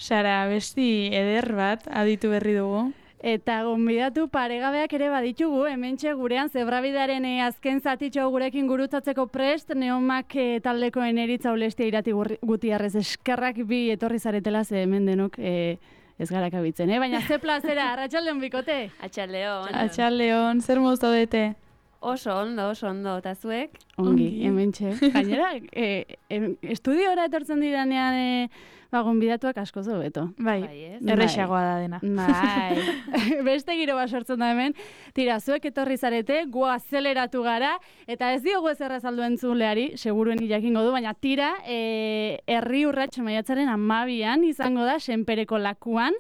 Sara, besti eder bat aditu berri dugu. Eta gonbidatu paregabeak ere baditugu, hementxe gurean zebrabidearen azken zatitxo gurekin gurutzatzeko prest, Neomak taldeko Eneritza Ulestia Irati Gutiarrez eskerrak bi etorri zaretela, ze hemen denok ez gara kabitzen, baina ze plazera, arratsaldeon bikote? Atxaldeon, zer moz daudete? Oso ondo, eta zuek? Ongi, hementxe. Gainera, estudiora etortzen diranean gonbidatuak asko hobeto. Bai, errexagoa da dena. Bai, beste giro bat sortzen da hemen. Tira, zuek etorri zarete, gu azeleratu gara, eta ez diogu ez errazaldu entzuleari, seguruen jakingo du, baina tira, Herri Urrats maiatzaren 12an izango da, Senpereko lakuan,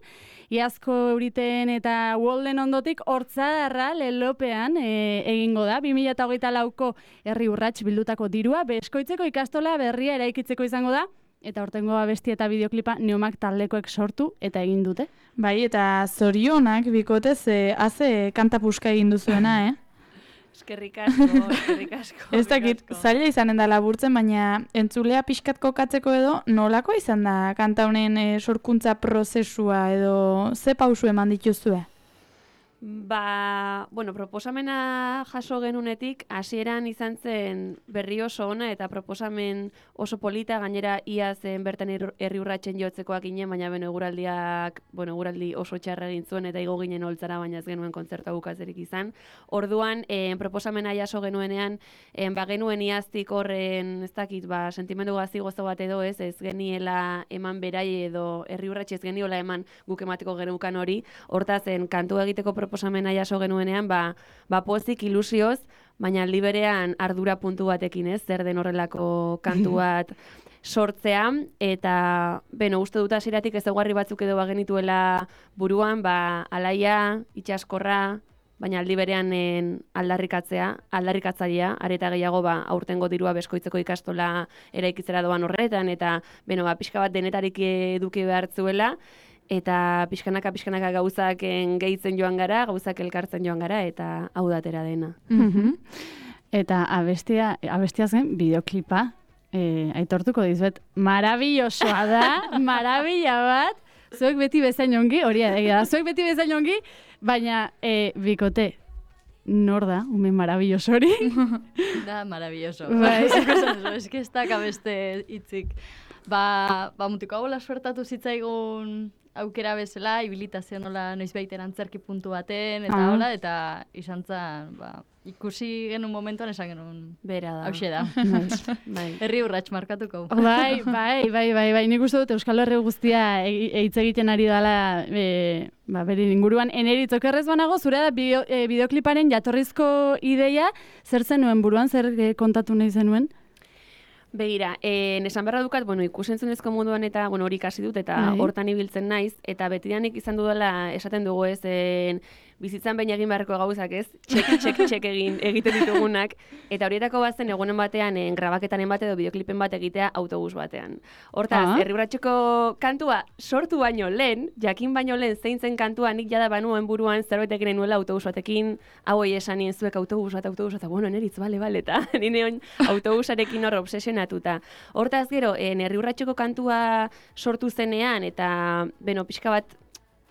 Iazko Euriten eta Uolden ondotik Hortzadarra lelopean egingo da. 2024ko Herri Urrats bildutako dirua, Beskoitzeko ikastola berria eraikitzeko izango da, eta hortengo abesti eta bideoklipa Neomak taldekoek sortu eta egin dute. Bai, eta zorionak bikotez haze kantapuska egin duzuena, Eskerrik asko. Ez dakit, zaila izanen da laburtzen, baina entzulea pixkat kokatzeko edo nolako izan da kanta honen sorkuntza prozesua edo ze pausu eman dituzue? Proposamena jaso genunetik, hasieran izan zen berri oso ona eta proposamen oso polita, gainera ia zen bertan Herri Urratsen jotzekoak ginen, baina eguraldi oso txarra egin zuen eta igo ginen holtzara, baina ez genuen kontzertua bukatzerik izan. Orduan, proposamena jaso genuenean, genuen iaztik horren, ez dakit, sentimendu gazi gozo bat edo ez geniela eman berai edo Herri Urratsi ez geniola eman guk emateko genukan hori, hortazen kantu egiteko proposamena jaso genuenean, pozik ilusioz, baina aldi berean ardura puntu batekin, zer den horrelako kantu bat sortzea, eta uste dut hasieratik ezaugarri batzuk edo bagenituela buruan, alaia, itsaskorra, baina aldi berean aldarrikatzailea, areta gehiago aurtengo dirua Beskoitzeko ikastola eraikitzera doan horretan, eta pixka bat denetarik eduki behartzuela, eta pixkanaka gauzak gehitzen joan gara, gauzak elkartzen joan gara, eta hau datera dena. Eta abestia zen bideoklipa, aitortuko dizuet, marabillosoa da, marabilla bat, zuek beti bezain ongi, hori da, zuek beti bezain ongi, baina bikote, nor da, ume marabilloso hori? Da, marabilloso. Ez que ez da kabeste hitzik. Mutiko hau suertatu zitzaigun aukera bezala, ibilitazio nola noizbaiten antzerki puntu baten, eta hola, eta izan zen, ikusi genuen momentuan esan genuen. Bera da. Hauxe da. Herri Urrats markatuko. Bai, nik uste dut Euskal Herri guztia hitz egiten ari dela bere inguruan. Eneritz, okerrez banago, zure da bideokliparen jatorrizko ideia, zer zenuen buruan, zer kontatu nahi zenuen? Begira, esan beharra dukat, ikusentzunezko munduan eta hori ikasi dut eta hortan ibiltzen naiz, eta betidanik izan dudala esaten dugu bizitzan behin egin beharreko gauzak txek egiten ditugunak, eta horietako bazen egunen batean grabaketanen bat edo bideoklipen bat egitea autobus batean. Hortaz, Herri Urratseko kantua sortu baino lehen, jakin baino lehen zein zen kantua nik jada banuen buruan zerbait egin nuela autobus batekin, hauei esan nien zuek autobus bat, Eneritz, bale, eta nire autobusarekin hor obsesionatuta. Hortaz gero, Herri Urratseko kantua sortu zenean, eta pixka bat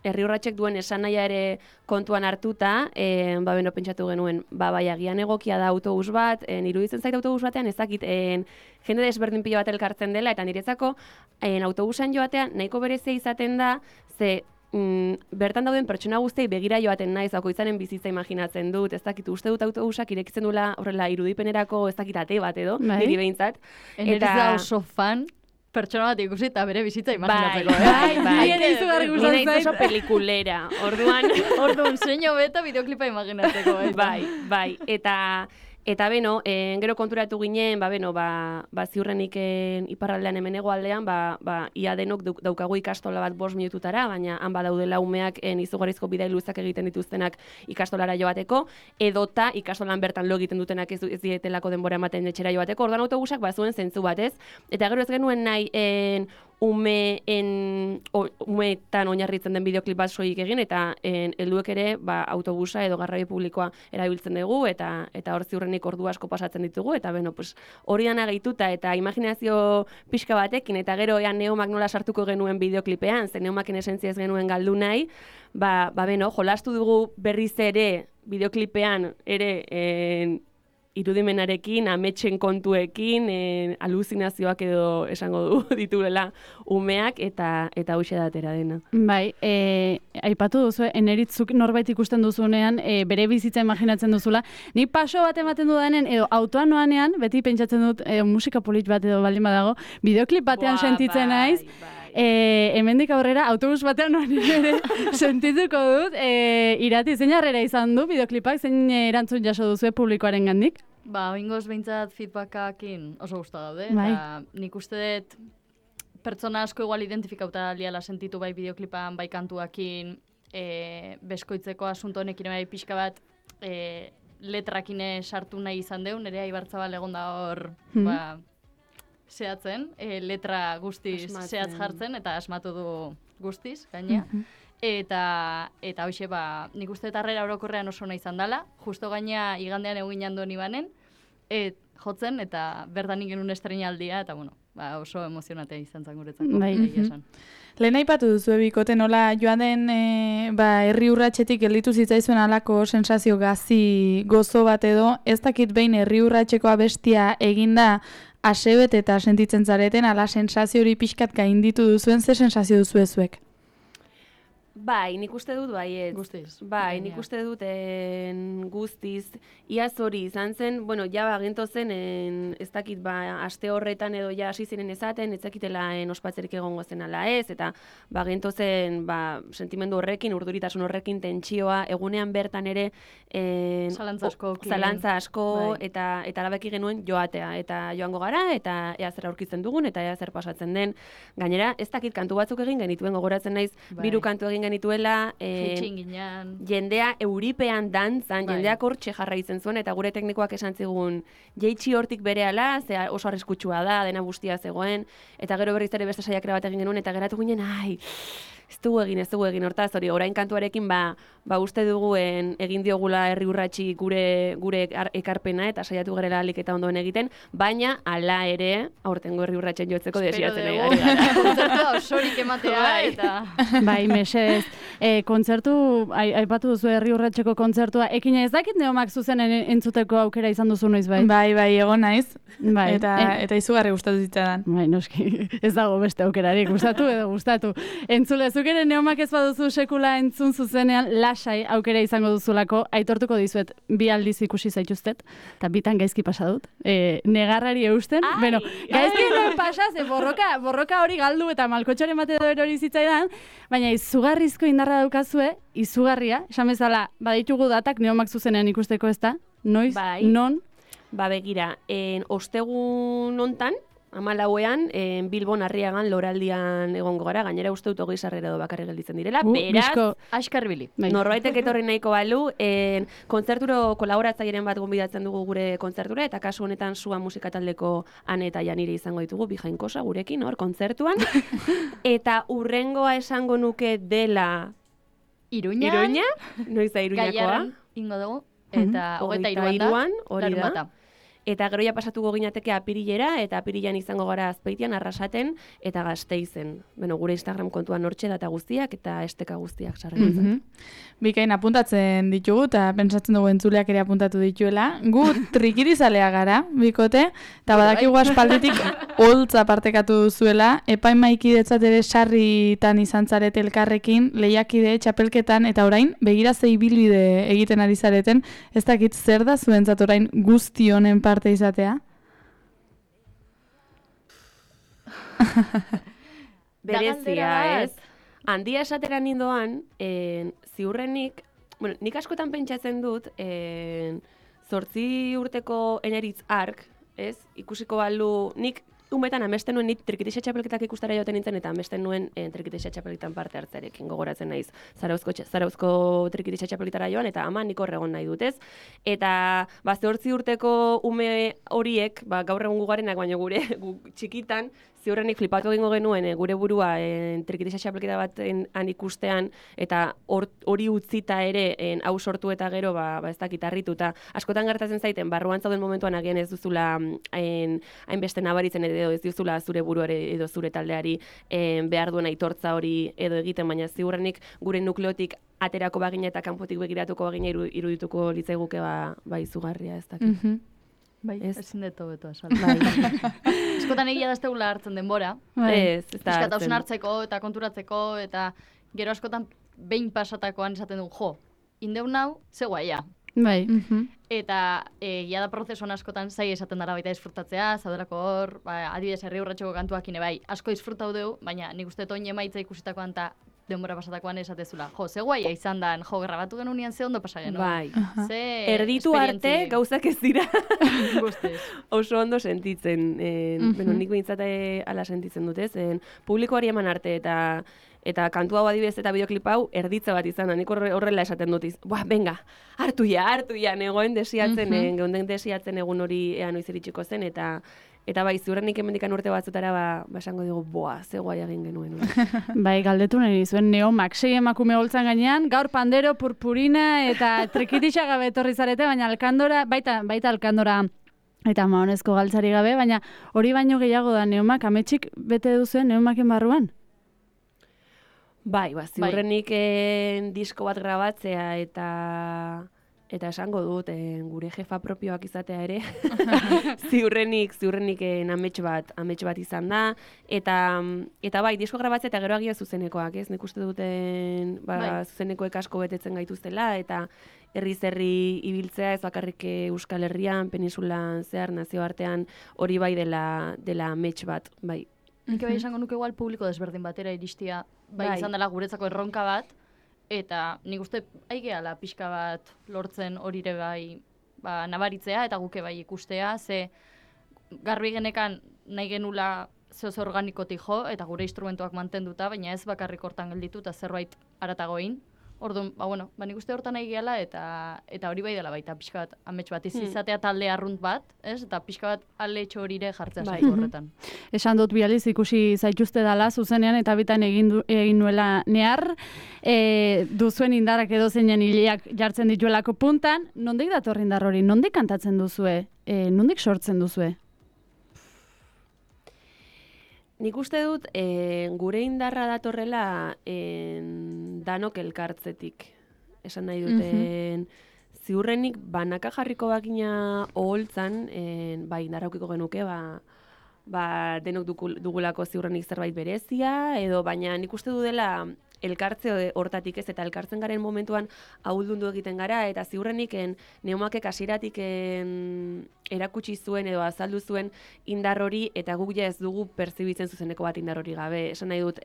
Herri Urratsek duen esanaia ere kontuan hartuta, pentsatu genuen, agian egokia da autobus bat, iruditzen zait autobus batean, ezakit, jende desberdin pilo bat elkartzen dela, eta niretzako autobusan joatean nahiko berezia izaten da, ze bertan dauden pertsona guztiei begira joaten naiz, bakoitzaren bizitza imaginatzen dut, ez dakit, uste dut autobusak irekitzen duela horrela irudipenerako ez dakit ate bat edo, niri behintzat. Eneritz da oso fan, pertsona bat ikusi eta bere bizitza imaginatzeko. Nire oso pelikulera, orduan zein hobeto bideoklipa imaginatzeko. Bai, eta gero konturatu ginen, ziurrenik iparraldean hemen hegoaldean, ia denok daukagu ikastola bat 5 minututara, baina han badaudela umeak izugarrizko bidai luzak egiten dituztenak ikastolara joateko, edota ikastolan bertan lo egiten dutenak ez dietelako denbora ematen etxera joateko, orduan autobusak bazuen zentzu batez, eta gero ez genuen nahi umeetan oinarritzen den bideoklip bat soilik egin, eta helduek ere autobusa edo garraio publikoa erabiltzen dugu, eta hor ziurrenik ordu asko pasatzen ditugu, eta hori dana gehituta, eta imaginazio pixka batekin, eta gero Neomak nola sartuko genuen bideoklipean, ze Neomaken esentzia ez genuen galdu nahi, jolastu dugu berriz ere bideoklipean ere irudimenarekin, ametsen kontuekin, aluzinazioak edo esango du dituela umeak, eta hoxe da atera dena. Bai, aipatu duzu, eneritzuk norbait ikusten duzunean, bere bizitza imaginatzen duzula. Ni paso bat ematen dudanen, edo autoan noanean, beti pentsatzen dut, musika polit bat edo baldin badago, bideoklip batean sentitzen naiz, hemendik aurrera autobus batean ere sentituko dut, Irati, zein harrera izan du bideoklipak, zein erantzun jaso duzu publikoaren gandik? Oingoz behintzat feedbackakin oso gustu daude, eta nik uste dut pertsona asko igual identifikauta liala sentitu bai bideoklipan, bai kantuakin, beskoitzeko asunto honekin bai pixka bat letrakine sartu nahi izan deun, ere Aibartzabal egon da hor, zehatzen, letra guztiz zehatz jartzen, eta asmatu du guztiz, gainea. Eta hoxe, nik uste harrera orokorrean oso nahi izan dela, justo gainea igandean egin jando nibanen, jotzen, eta bertan genuen estreinaldia, eta oso emozionatea izan zan guretzako. Lehen aipatu duzu bikote nola joan den herri urratxetik gelditu zitzaizuen alako sensazio gozo bat edo, ez dakit behin herri urratxeko abestia eginda asebet eta sentitzen zareten, ala sensazio hori pixkat gainditu duzuen, ze sensazio duzu ezuek? Bai, nik uste dut baiet. Guztiz. Bai, nik uste dut guztiz. Iaz hori izan zen, ginto zen, ez dakit, aste horretan edo hasi ziren ezaten, ez dakitela ospatzerik egongo zen ala ez, eta ginto zen, sentimendu horrekin, urduritasun horrekin, tentsioa, egunean bertan ere, zalantza asko, eta alabeki genuen joatea, eta joango gara, eta ea zer aurkitzen dugun, eta ea zer pasatzen den. Gainera, ez dakit, kantu batzuk egin genituen, gogoratzen naiz, 3 kantu egin genituela, jendea euripean dantzan, jendeak hortxe jarraitzen zuen, eta gure teknikoak esan zigun jeitsi hortik berehala, ze oso arriskutsua da, dena guztia zegoen, eta gero berriz ere beste saiakera bat egin genuen, eta geratu ginen, ez dugu egin, hortaz, hori, orain kantuarekin, uste duguen egin diogula herri urratsi gure ekarpena, eta saiatu garela alik eta ondoen egiten, baina, ala ere, aurtengo herri urratsen jotzeko desiatzen ari gara. Kontzertua osorik ematea, eta... Bai, mesedez, kontzertu, aipatu duzu herri urratxeko kontzertua, ekina ez dakit Neomak zuzen entzuteko aukera izan duzu noiz bai? Bai, egon naiz, eta izugarri gustatu zitzaidan. Bai, noski, ez dago beste aukerarik, gustatu. Entzule, zuk ere Neomak ez baduzu sekula entzun zuzenean, lasai aukera izango duzulako, aitortuko dizuet 2 aldiz ikusi zaituztet, eta bitan gaizki pasa dut, negarrari eusten, gaizki noen pasa, ze borroka hori galdu eta malkotxoren bate hori zitzaidan, baina izugarrizko indarra daukazue, izugarria, esan bezala, baditugu datak Neomak zuzenean ikusteko ez da, noiz, non? Begira, ostegun hontan, 14ean, Bilbon Arriagan loraldian egongo gara, gainera uste dut 20 sarrera edo bakarrik gelditzen direla, beraz, askarbili. Norbaitek etorri nahiko balu, kontzerturo kolaboratzaileren bat gonbidatzen dugu gure kontzertura, eta kasu honetan Sua musika taldeko Ane eta Janire izango ditugu, bi jainkosa gurekin, hor, kontzertuan, eta urrengoa esango nuke dela Iruña? Noiz da Iruñakoa? Gaiaran ingo dugu, eta 23an, hori da. Eta gero ja pasatuko ginateke apirilera, eta apirilean izango gara Azpeitian, Arrasaten, eta Gasteizen. Gure Instagram kontuan hortxe data guztiak, eta esteka guztiak sarretzen. Bikain apuntatzen ditugu, eta pentsatzen dugu entzuleak ere apuntatu dituela. Gu trikirizalea gara, bikote, eta badakigu aspalditik holtza partekatu duzuela, epaimaikidetzat ere sarritan izan zarete elkarrekin, lehiakide, txapelketan, eta orain, begira ze ibilbide egiten ari zareten, ez dakit zer da zuentzat orain guzti honen parte izatea? Berezia, ez? Handia esatera nindoan, ziurrenik, nik askotan pentsatzen dut, 8 urteko Eneritz Ark, ez? Ikusiko balu, nik umetan amesten nuen trikitixa txapelketak ikustera joten nintzen, eta amesten nuen trikitixa txapelketan parte hartzarekin gogoratzen naiz. Zarauzko trikitixa txapelketara joan, eta ama nik horregon nahi dutez. Eta 8 urteko ume horiek, gaur egun gugarenak, baina gure txikitan, ziurrenik flipatu egingo genuen gure burua trikitixa txapelketa baten ikustean, eta hori utzita ere hau sortu eta gero ez dakit harritu, eta askotan gertatzen zaiten, barruan zauden momentuan agian ez duzula hainbeste nabaritzen edo ez duzula zure buruare edo zure taldeari behar duen aitortza hori edo egiten, baina ziurrenik gure nukleotik aterako bagina eta kanpotik begiratuko bagina irudituko litzaiguke izugarria, ez dakit. Bai, ezin deto beto azaldu. Eskotan egia da ez tegula hartzen denbora. Ez da hartzen. Hartzeko eta konturatzeko, eta gero askotan behin pasatakoan esaten du, indeun nau, ze guaia. Bai. Eta egia da prozesuan askotan zai esaten dara baita disfrutatzea, zaudelako hor, adibidez herri urratxoko kantuakine bai, asko disfrutau deu, baina nik uste toin emaitza ikusitakoan eta denbora pasatakoan esatezula. Ze guaia izan dan, grabatu genuen ze ondo pasa genuen. Bai. Erditu arte gauzak ez dira. Guztiz. Oso ondo sentitzen. Nik behintzat ala sentitzen dut, ez? Publikoari eman arte eta kantu hau adibidez eta bideoklip hau erditza bat izan da. Nik horrela esaten dut. Venga, hartu ja, negoen desiatzen, geunden desiatzen egun hori noiz iritsiko zen, eta bai, ziurrenik hemendikan urte batzutara, esango dugu, ze guai egin genuen. Bai, galdetu nahi zuen Neomak, 6 emakume holtzan gainean, gaur pandero, purpurina eta trikitixa gabe etorri zarete, baina alkandora, baita alkandora eta mahonezko galtzari gabe, baina hori baino gehiago da Neomak, ametsik bete duzuen Neomaken barruan? Bai, ziurrenik disko bat grabatzea eta esango dut, gure jefa propioak izatea ere, ziurrenik amets bat izan da, eta bai, disko grabatzea eta gero agia zuzenekoak, ez? Nik uste duten zuzenekoek asko betetzen gaituztela, eta herri ibiltzea, ez bakarrik Euskal Herrian, peninsulan zehar, nazioartean, hori bai dela amets bat, bai. Nik bai esango nuke igual publiko desberdin batera iristia, bai izan dela guretzako erronka bat, eta nik uste aigeala pixka bat lortzen horire bai nabaritzea eta guke bai ikustea, ze garbi genekan nahi genula zeoz organikotik jo, eta gure instrumentuak mantenduta, baina ez bakarrik hortan gelditu eta zerbait aratagoin. Orduan, nik uste hortan nahi gehala eta hori bai dela baita pixka bat amets bat izatea talde arrunt bat, ez? Eta pixka bat aletxo horire jartzea zaitu horretan. Esan dut bializ ikusi zaituzte dala zuzenean eta bitan egin nuela nehar, duzuen indarrak edo zeinen hileak jartzen dituelako puntan, nondik dator indar hori? Nondik kantatzen duzue? Nondik sortzen duzue? Nik uste dut, gure indarra datorrela danok elkartzetik. Esan nahi duten, ziurrenik banaka jarriko bakina oholtzan, indarra aukiko genuke, denok dugulako ziurrenik zerbait berezia, edo baina nik uste du dela elkartze hortatik ez, eta elkartzen garen momentuan ahuldundu egiten gara, eta ziurrenik Neomakek hasieratik erakutsi zuen edo azaldu zuen indar hori, eta guk ja ez dugu perzibitzen zuzeneko bat indar hori gabe. Esan nahi dut,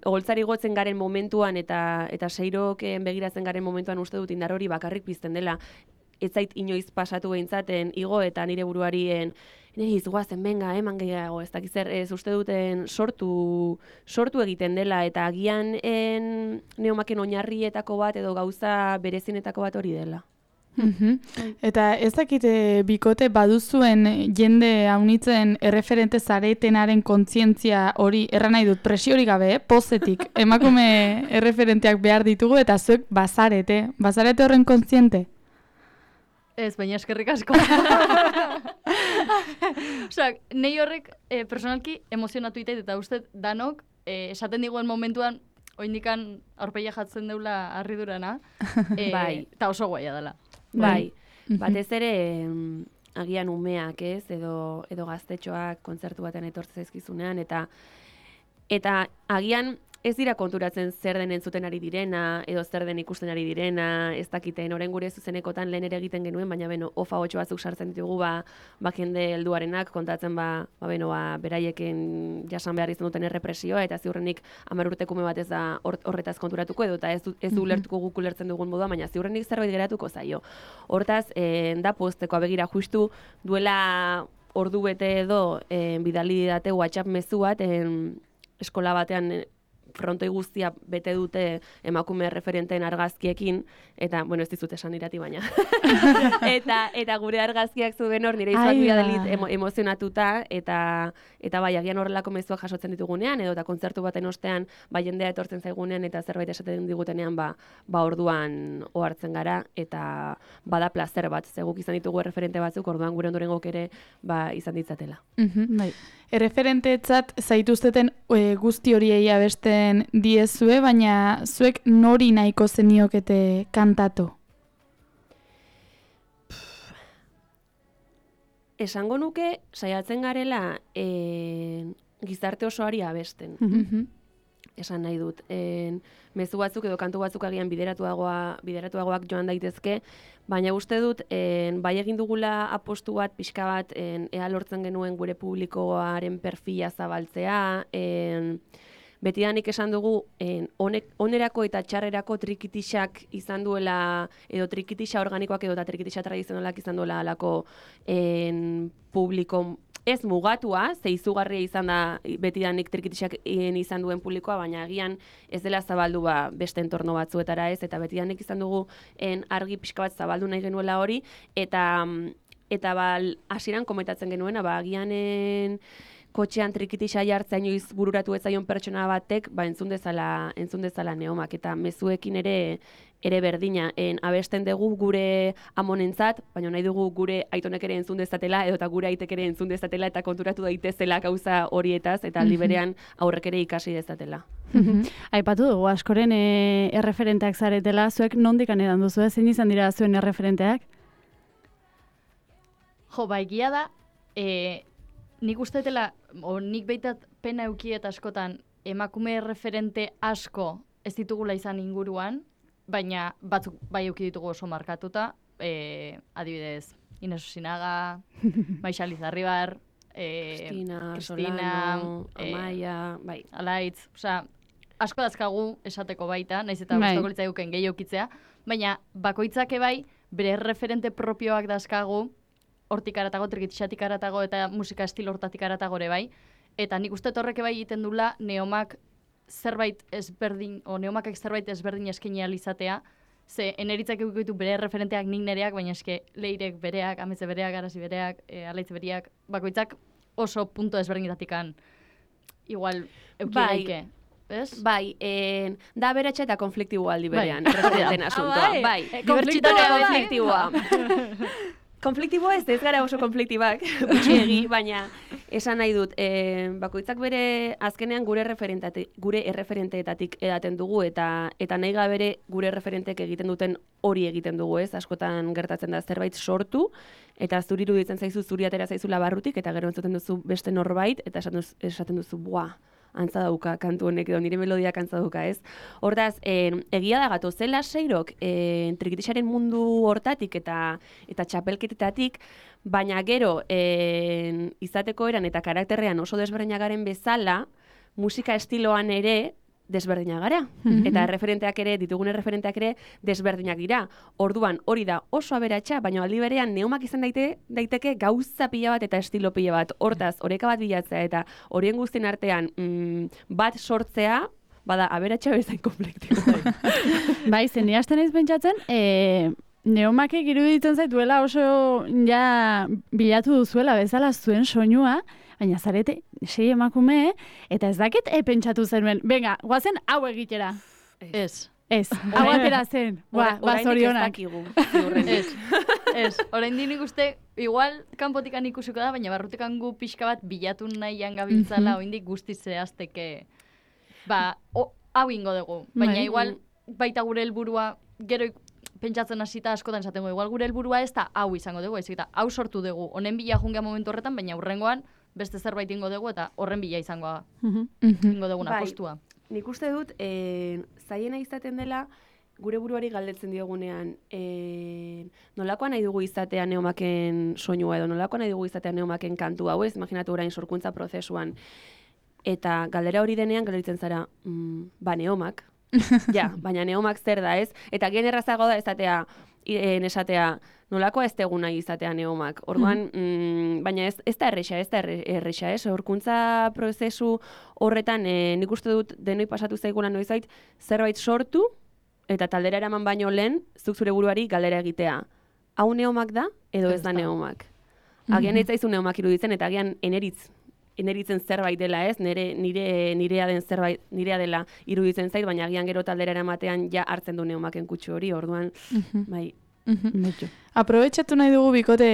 oholtzari gotzen garen momentuan eta seiroken begiratzen garen momentuan uste dut indar hori bakarrik pizten dela. Ez zait inoiz pasatu behintzat igo eta nire buruari guazen, benga, eman gehiago, ez dakiz ez uste duten sortu egiten dela, eta agian Neomaken oinarrietako bat edo gauza berezinetako bat hori dela. Eta ez dakite bikote baduzuen jende haunitzen erreferente zaretenaren kontzientzia hori, erran nahi dut, presiori gabe, pozetik, emakume erreferenteak behar ditugu, eta zuek bazarete horren kontziente? Ez, baina eskerrik asko. Osea, nahi horrek personalki emozionatu itait, eta uste danok esaten diguen momentuan oindikan aurpegia jatzen deula harridurana, bai. Eta oso guaia dela. Bai, batez ere agian umeak ez, edo gaztetxoak kontzertu baten etortzen zaizkizunean, eta agian ez dira konturatzen zer den entzuten ari direna, edo zer den ikusten ari direna, ez dakiten, orain gure zuzenekotan lehen ere egiten genuen, baina ofa 8 batzuk sartzen ditugu, jende helduarenak kontatzen, beraieken jasan behar izan duten errepresioa, eta ziurrenik 10 urtekume bat ez da horretaz konturatuko, edo eta ez du ulertuko guk ulertzen dugun modua, baina ziurrenik zerbait geratuko zaio. Hortaz, da poztekoa begira justu duela ordu bete edo bidali didate WhatsApp mezu bat eskola batean frontoi guztia bete dute emakume referenteen argazkiekin, eta, bueno, ez dizut esan irati baina. eta gure argazkiak zuen hor, nire izuak bidalit emozionatuta, eta bai, agian horrelako mezuak jasotzen ditugunean, edo eta kontzertu baten ostean, bai jendea etortzen zaigunean, eta zerbait esaten digutenean, ba orduan ohartzen gara, eta bada plazer bat, zeguk izan ditugu referente batzuk, orduan gure ondorengok ere izan ditzatela. Bai. Erreferentetzat zaituzteten guzti horiei abesten diezue, baina zuek nori nahiko zeniokete kantatu? Esango nuke, saiatzen garela gizarte osoari abesten. Esan nahi dut. Mezu batzuk edo kantu batzuk agian bideratuagoak joan daitezke, baina uste dut, bai egin dugula apostu bat, pixka bat, ea lortzen genuen gure publikoaren perfila zabaltzea, betidanik esan dugu, onerako eta txarrerako trikitixak izan duela, edo trikitixa organikoak edo eta trikitixa tradizionalak izan duela alako publiko ez mugatua, ze izugarria izan da betidanik trikitixak izan duen publikoa, baina agian ez dela zabaldu beste entorno batzuetara ez, eta betidanik izan dugu argi pixka bat zabaldu nahi genuela hori, eta hasieran komentatzen genuena, agian kotxean trikitixa jartzea inoiz bururatu ez zaion pertsona batek, entzun dezala Neomak, eta mezuekin ere berdina, abesten dugu gure amonentzat, baina nahi dugu gure aitonek ere entzun dezatela, edo eta gure aitek ere entzun dezatela, eta konturatu daitezela gauza horietaz, eta aldi berean aurrek ere ikasi dezatela. Aipatu dugu, askoren erreferenteak zaretela, zuek nondik anedan duzu, zein izan dira zuen erreferenteak? Jo, egia da, nik ustetela, nik behitat pena eukiet askotan emakume referente asko ez ditugula izan inguruan, baina batzuk bai euki ditugu oso markatuta, adibidez, Ines Osinaga, Maixa Lizarribar, Kristina, Solano, Amaia, bai. Alaitz, osea, asko dazkagu esateko baita, naiz eta gustoko litzaiguken gehi eukitzea, baina bakoitzake bai, bere referente propioak dazkagu, hortik aratago, trikitixatik aratago, eta musika estilo hortatik aratago ere bai, eta nik uste horrek bai egiten dula Neomak zerbait ezberdin, o Neomakak zerbait ezberdin eskaini izatea, ze eneritzak eukiko bere referenteak nik nereak, baina eske Leirek bereak, Ametze bereak, Arasi bereak, Alaitz bereak, bakoitzak oso punto ezberdinetatikan igual euki daike. Bai, da beratxa eta konfliktiboa aldi berean, referenten asuntoa. Bai, konfliktiboa. Konfliktiboa ez gara oso konfliktibak, gutxiegi, baina esan nahi dut, bakoitzak bere azkenean gure erreferenteetatik edaten dugu, eta nahi gabere gure erreferenteek egiten duten hori egiten dugu, ez? Askotan gertatzen da zerbait sortu, eta zuri iruditzen zaizu, zuri atera zaizula barrutik, eta gero entzuten duzu beste norbait, eta esaten duzu, buah, antza dauka kantu honek edo nire melodiak antza dauka, ez? Hortaz, egia da gatozela seirok trikitixaren mundu hortatik eta txapelketetatik, baina gero izateko eran eta karakterrean oso desberdinak garen bezala, musika estiloan ere desberdinak gara. Eta ditugun referenteak ere desberdinak dira. Orduan hori da oso aberatsa, baina aldi berean Neomak izan daiteke gauza pila bat eta estilo pila bat. Hortaz, oreka bat bilatzea eta horien guztien artean bat sortzea, bada aberatsa bezain konfliktiboa. Bai, zen ni hasten naiz pentsatzen, Neomakek iruditzen zaituela oso ja bilatu duzuela bezala zuen soinua, baina zarete 6 emakume, eta ez dakit pentsatu zenuen. Venga, guazen hau egitera. Ez. Hau atera zen. Zorionak. Ez. Oraindik nik uste, igual kanpotikan ikusiko da, baina barrutikan gu pixka bat bilatu nahian gabiltzala, oraindik guztiz zehazteke. Hau ingo dugu. Baina igual baita gure helburua gero pentsatzen hasita askotan esatengo, igual gure helburua ez da hau izango dugu, eta hau sortu dugu. Honen bila jungea momentu horretan, baina hurrengoan beste zerbait ingo dugu eta horren bila izango ingo duguna postua. Nik uste dut, zaiena izaten dela, gure buruari galdetzen diogunean, nolakoa nahi dugu izatea Neomaken soinua edo, nolakoa nahi dugu izatea Neomaken kantu hau ez, imaginatu orain sorkuntza prozesuan. Eta galdera hori denean galdetzen zara, Neomak. Ja, baina Neomak zer da ez? Eta gen errazago da ezatea, esatea, nolakoa ez tegu nahi izatea neomak. Orduan, baina ez da erresa, sorkuntza prozesu horretan nik uste dut denoi pasatu zaigula noizait, zerbait sortu eta taldera eraman baino lehen, zuk zure buruari galdera egitea. Hau neomak da edo ez da neomak? Agian ez zaizu neomak iruditzen eta agian eneritzen zerbait dela ez, nirea den zerbait, nirea dela iruditzen zait, baina agian gero taldera eramatean ja hartzen du neomaken kutsu hori, orduan, bai. Aprobetxatu nahi dugu bikote,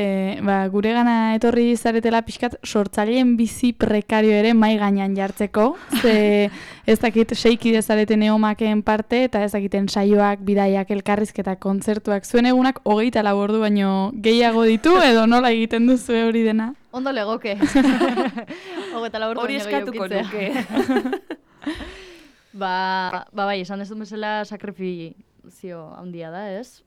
gure gana etorri zaretela pixkat sortzaileen bizi prekario ere mai gainean jartzeko, ze ez dakit seikide zarete neomaken parte eta ez dakiten saioak, bidaiak, elkarrizketak, kontzertuak, zuen egunak 24 ordu baino gehiago ditu edo nola egiten duzu hori dena? Ondo legoke. 24 ordu hori eskatuko nuke. Bai, esan ez du bezala sakrifizio handia da, ez?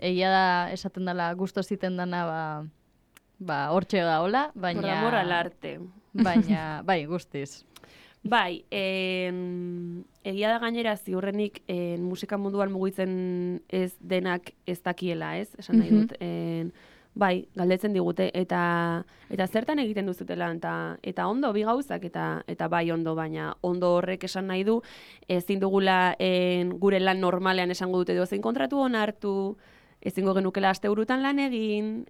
Egia da, esaten dela, gusto ziten dana, hortxe da hola, baina... Por amor al arte. Baina, bai, guztiz. Bai, egia da gainera ziurrenik musika munduan mugitzen ez denak ez dakiela, ez? Esan nahi dut. Bai, galdetzen digute, eta zertan egiten duzutela, eta ondo, bi gauzak, eta bai ondo, baina ondo horrek esan nahi du, ezin dugula gure lan normalean esango dute zein kontratu onartu, ezingo genukela asteburutan lan egin,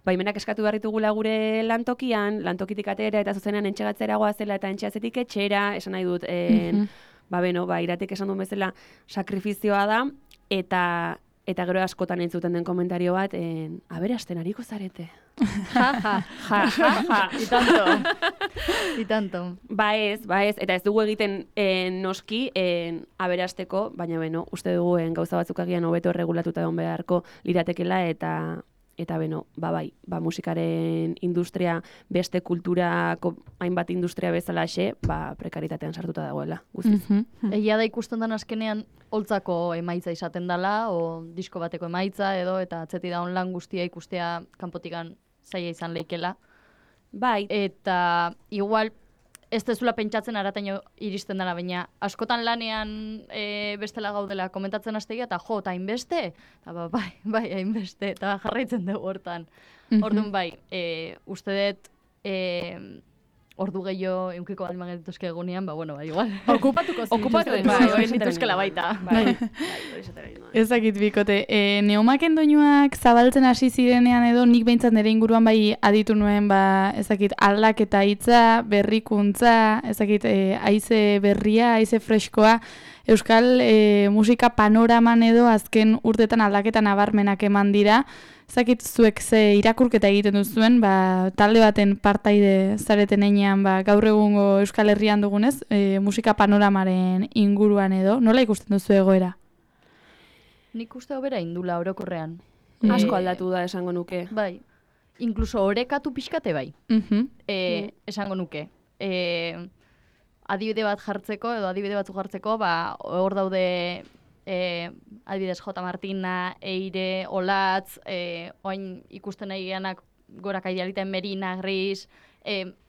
baimenak eskatu behar ditugula gure lantokitik atera, eta zuzenean entxegatzera goazela, eta entxeazetik etxera, esan nahi dut, iratek esan duen bezala sakrifizioa da, eta gero askotan entzuten den komentario bat, aberasten ariko zarete. Itanto. Ba ez, eta ez dugu egiten noski aberasteko, baina uste dugu gauza batzuk agian hobeto erregulatuta egon beharko liratekela, eta bai, musikaren industria beste kulturako hainbat industria bezalaxe, prekaritatean sartuta dagoela, guztiz. Egia da ikusten den azkenean holtzako emaitza izaten dela, o disko bateko emaitza edo, eta atzeti da lan guztia ikustea kanpotikan zaila izan leikela. Bai. Eta igual ez dezula pentsatzen arataino iristen dela, baina askotan lanean bestela gaudela komentatzen hastegia, eta eta hainbeste, eta bai, hainbeste, eta jarraitzen dugu hortan. Orduan bai, uste dut ordu gehiago eukiko balima genituzke egunean, igual. Okupatuko dituzkela baita. Ez dakit bikote, neomaken doinuak zabaltzen hasi zirenean edo nik behintzat nire inguruan bai aditu nuen, ez dakit aldaketa hitza, berrikuntza, ez dakit haize berria, haize freskoa, euskal musika panoraman edo azken urtetan aldaketa nabarmenak eman dira. Zakit zuek ze irakurketa egiten duzuen, talde baten partaide zareten einean gaur egungo Euskal Herrian dugunez, musika panoramaren inguruan edo, nola ikusten duzu egoera? Nik uste hobera indula orokorrean. Asko aldatu da esango nuke. Bai, inkluso orekatu pixkate bai, esango nuke. Adibide bat jartzeko, edo adibide batzuk jartzeko, hor daude... adibidez J. Martina, Eire, Olatz, oain ikusten nahi geanak gorak aidealita Merina, Gris,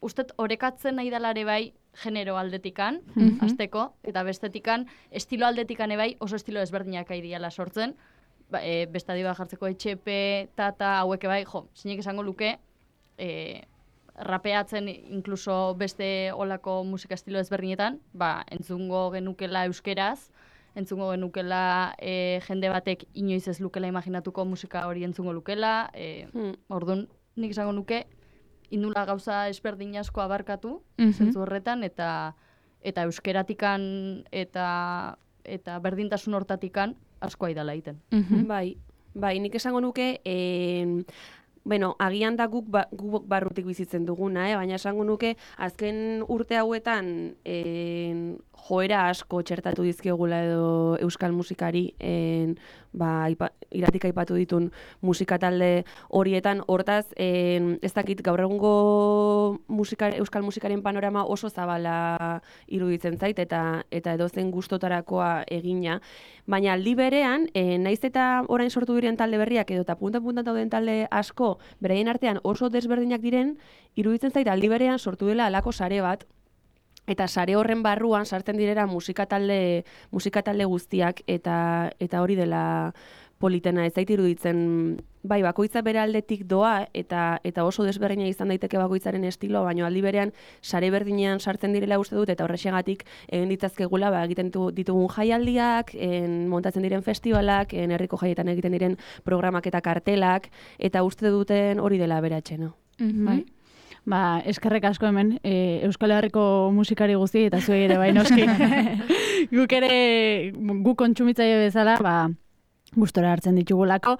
ustet orekatzen nahi dalare bai genero aldetikan, azteko, eta bestetikan, estilo aldetikan bai oso estilo ezberdinak aideala sortzen, beste adiba jartzeko etxepe, tata, haueke bai, zinek esango luke, rapeatzen inkluso beste olako musika estilo ezberdinetan, entzungo genukela euskeraz, entzungo genukela jende batek inoiz ez lukela imaginatuko musika hori entzungo lukela, orduan nik esango nuke indula gauza ezberdin asko abarkatu, zentzu horretan, eta euskeratikan eta berdintasun hortatikan asko aidala egiten. Bai, nik esango nuke, agian da guk barrutik bizitzen duguna, baina esango nuke azken urte hauetan joera asko txertatu dizkiogula edo euskal musikari iratik aipatu ditun musika talde horietan, hortaz ez dakit gaur egungo euskal musikaren panorama oso zabala iruditzen zait eta edozen gustotarakoa egina, baina aldi berean, naiz eta orain sortu diren talde berriak edo eta punta-punta dauden talde asko beraien artean oso desberdinak diren, iruditzen zait aldi berean sortu dela alako sare bat, Eta sare horren barruan sartzen direra musikatalde guztiak eta hori dela politena, ez zait iruditzen, bai, bakoitza bere aldetik doa eta oso desberdina izan daiteke bakoitzaren estilo, baina aldi berean sare berdinean sartzen direla uste dut, eta horrexegatik egin ditzazkegula egiten ditugun jaialdiak, montatzen diren festivalak, herriko jaietan egiten diren programak eta kartelak, eta uste duten hori dela aberatxena. Bai. Eskerrek asko hemen, Euskal Herriko musikari guzti eta zuei ere bai noski. Guk kontsumitzaile bezala, gustora hartzen ditugulako.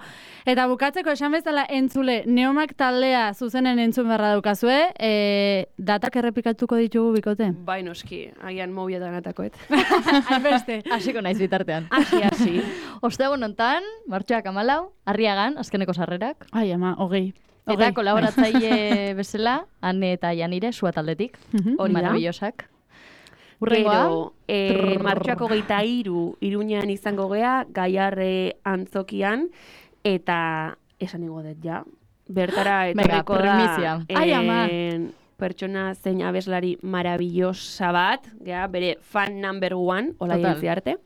Eta bukatzeko esan bezala entzule, Neomak taldea zuzenen entzun beharra daukazue, datak errepikatuko ditugu bikote? Bai noski, agian mobietan atakoet. Hainbeste. Hasiko naiz bitartean. Hasi. Ostegun hontan, martxoak 14, Arriagan, azkeneko sarrerak. Ai, ama, 20. Eta kolaboratzaile bezala, Ane eta Janire, sua taldetik. Hori maravillosak. Gero, martxoak 23 Iruñean izango gea, Gaiarre antzokian, eta esan igo dut ja. Bertara etorriko da pertsona zein abeslari maravillosa bat, bere fan number 1, hola jentzi arte.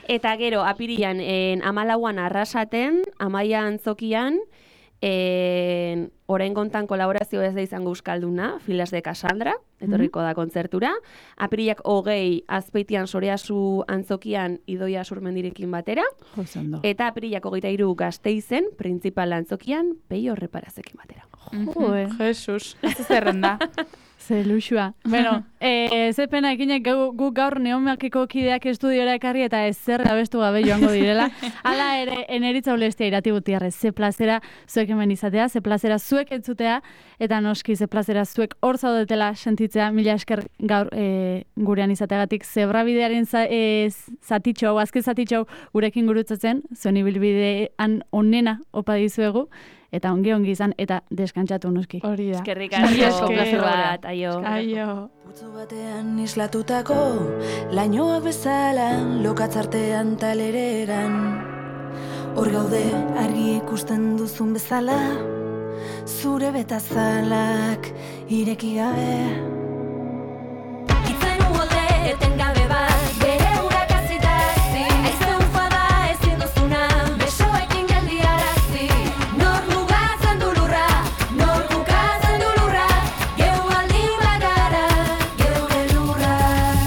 Eta gero, apirian, 14an Arrasaten, Amaia antzokian, orain gontan kolaborazio ez da izango euskalduna, Filas de Cassandra, etorriko da kontzertura. Apirilak 20 Azpeitian Soreazu antzokian Idoia Surmendirekin batera. Eta apirilak 23 Gasteizen, Printzipal antzokian Peio Reparazekin batera. Jesus, ez zerrenda. Ze luxua. Bueno, ze pena ekinek guk gaur Neomakiko kideak estudiora ekarri eta ezer abestu gabe joango direla. Hala ere, eneritza ulestia irati gutiarrez. Ze plazera zuek hemen izatea, ze plazera zuek entzutea, eta noski ze plazera zuek hor zaudetela sentitzea, mila esker gaur gurean izateagatik zebrabidearen zatitxo, azken zatitxo gurekin gurutzatzen, zuen ibilbidean onena opa dizuegu, eta ongi izan, eta deskantzatu noski. Hori da. Eskerrik asko, plazer bat, aio. Putzu batean islatutako, lainoak bezala, lokatzartean taleregan. Hor gaude, argi ikusten duzun bezala, zure betazalak ireki gabe. Itzen uolde, eten gabe bat, bere urak azitazi, aize ufada ezin duzuna, besoekin geldiarazi. Nor mugatzen du lurra, nor bukatzen du lurra, geu aldin bagara, geure lurra.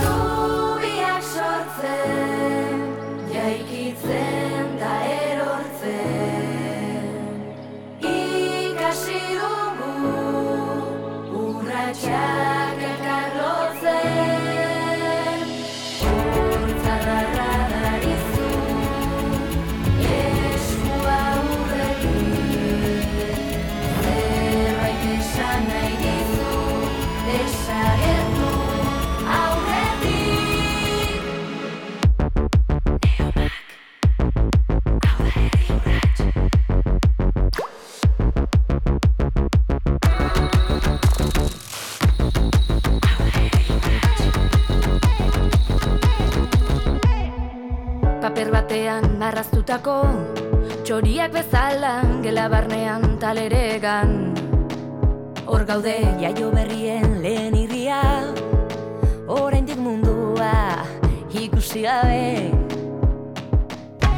Zubiak sortzen, jaikitzen da erortzen. Ikasi dugu, urratxak elkarlotzen. Hortzadarra darizu, eskua urretik. Zerbait esan nahi dizu, desagertu aurretik. Paper batean arraztutako, txoriak bezala, gela barnean taleregan. Hor gaude jaio berrien lehen irria, oraindik mundua ikusi gabe.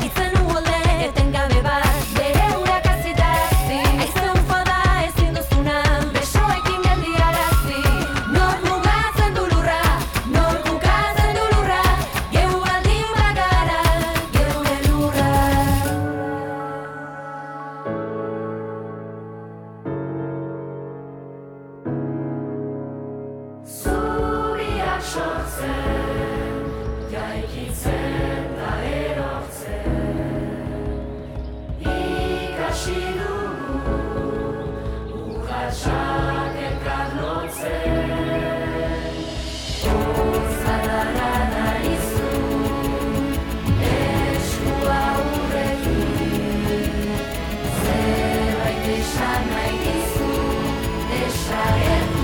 Itzen uolde, eten gabe bat, bere urak azitazi, aize ufada ezin duzuna, besoekin geldiarazi. Nor mugatzen du lurra, nor bukatzen du lurra, geu aldin bagara, geure lurra. Zubiak sortzen, jaikitzen da erortzen. Ikasi dugu, urratxak elkarlotzen. Hortzadarra darizu, eskua urretik. Zerbait esan nahi dizu, desagertu